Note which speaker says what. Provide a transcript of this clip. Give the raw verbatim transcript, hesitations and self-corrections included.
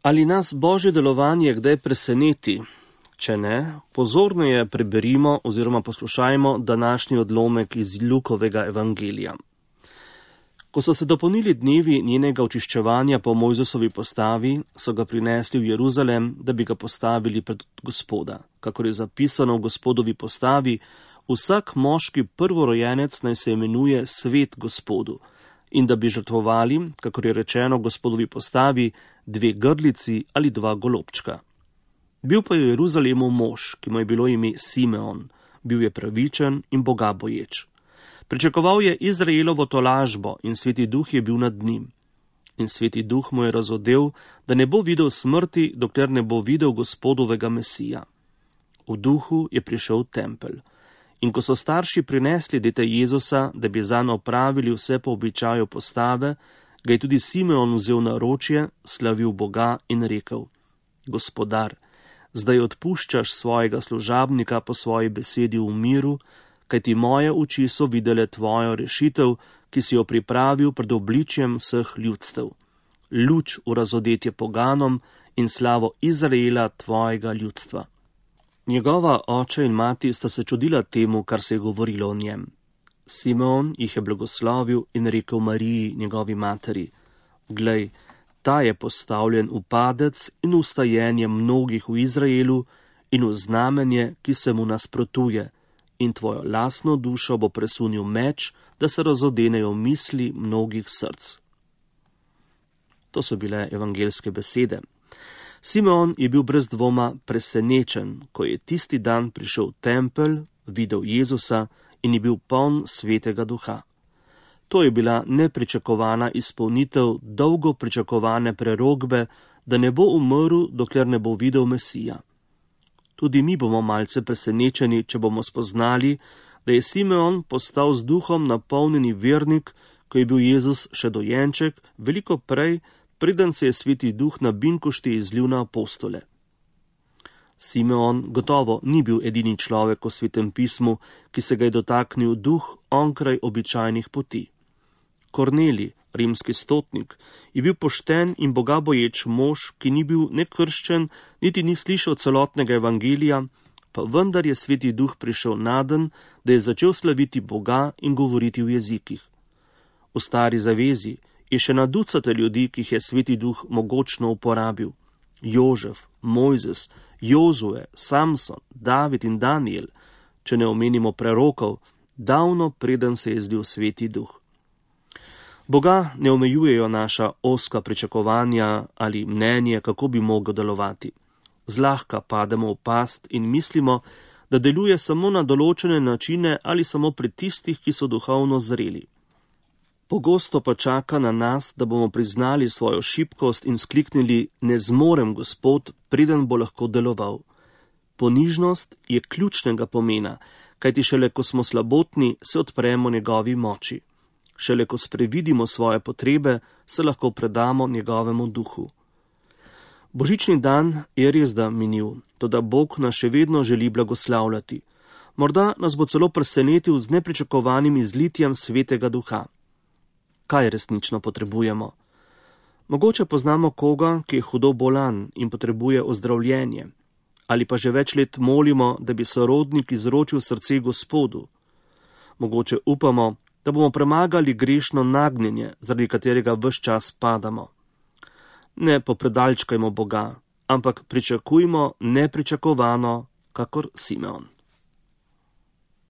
Speaker 1: Ali nas Božje delovanje kdaj preseneti? Če ne, pozorneje preberimo oziroma poslušajmo današnji odlomek iz Lukovega evangelija. Ko so se dopolnili dnevi njenega očiščevanja po Mojzesovi postavi, so ga prinesli v Jeruzalem, da bi ga postavili pred Gospoda. Kakor je zapisano v Gospodovi postavi, vsak moški prvorojenec naj se imenuje svet Gospodu, in da bi žrtvovali, kakor je rečeno v Gospodovi postavi, dve grlici ali dva golobčka. Bil pa je v Jeruzalemu mož, ki mu je bilo ime Simeon, bil je pravičen in bogaboječ. Pričakoval je Izraelovo tolažbo in Sveti Duh je bil nad njim. In Sveti Duh mu je razodel, da ne bo videl smrti, dokler ne bo videl Gospodovega Mesija. V duhu je prišel v tempelj. In ko so starši prinesli dete Jezusa, da bi zanj opravili vse po običaju postave, ga je tudi Simeon vzel na ročje, slavil Boga in rekel: Gospodar, zdaj odpuščaš svojega služabnika po svoji besedi v miru, kajti moje oči so videle tvojo rešitev, ki si jo pripravil pred obličjem vseh ljudstev. Luč v razodetje poganom in slavo Izraela tvojega ljudstva. Njegova oče in mati sta se čudila temu, kar se je govorilo o njem. Simeon jih je blagoslovil in rekel Mariji, njegovi materi: Glej, ta je postavljen v padec in ustajenje mnogih v Izraelu in v znamenje, ki se mu nasprotuje, in tvojo lastno dušo bo presunil meč, da se razodenejo misli mnogih src. To so bile evangeljske besede. Simeon je bil brez dvoma presenečen, ko je tisti dan prišel v tempelj, videl Jezusa in je bil poln Svetega Duha. To je bila nepričakovana izpolnitev dolgo pričakovane prerokbe, da ne bo umrl, dokler ne bo videl Mesija. Tudi mi bomo malce presenečeni, če bomo spoznali, da je Simeon postal z duhom napolnjeni vernik, ko je bil Jezus še dojenček, veliko prej, preden se je Sveti Duh na binkošti izlil na apostole. Simeon gotovo ni bil edini človek v Svetem pismu, ki se ga je dotaknil duh onkraj običajnih poti. Kornelij, rimski stotnik, je bil pošten in bogaboječ mož, ki ni bil ne krščen, niti ni slišal celotnega evangelija, pa vendar je Sveti Duh prišel naden, da je začel slaviti Boga in govoriti v jezikih. V stari zavezi je še na ducate ljudi, ki jih je Sveti Duh mogočno uporabil. Jožef, Mojzes, Jozue, Samson, David in Daniel, če ne omenimo prerokov, davno preden se je zlil Sveti Duh. Boga ne omejujejo naša ozka pričakovanja ali mnenje, kako bi mogel delovati. Zlahka pademo v past in mislimo, da deluje samo na določene načine ali samo pri tistih, ki so duhovno zreli. Pogosto pa čaka na nas, da bomo priznali svojo šibkost in skliknili: ne zmorem, Gospod, preden bo lahko deloval. Ponižnost je ključnega pomena, kajti šele ko smo slabotni, se odpremo njegovi moči. Šele ko sprevidimo svoje potrebe, se lahko predamo njegovemu duhu. Božični dan je res da minil, toda Bog nas še vedno želi blagoslavljati. Morda nas bo celo presenetil z nepričakovanim izlitjem Svetega Duha. Kaj resnično potrebujemo? Mogoče poznamo koga, ki je hudo bolan in potrebuje ozdravljenje, ali pa že več let molimo, da bi sorodnik izročil srce Gospodu. Mogoče upamo, da bomo premagali grešno nagnjenje, zaradi katerega ves čas padamo. Ne popredalčkajmo Boga, ampak pričakujmo nepričakovano, kakor Simeon.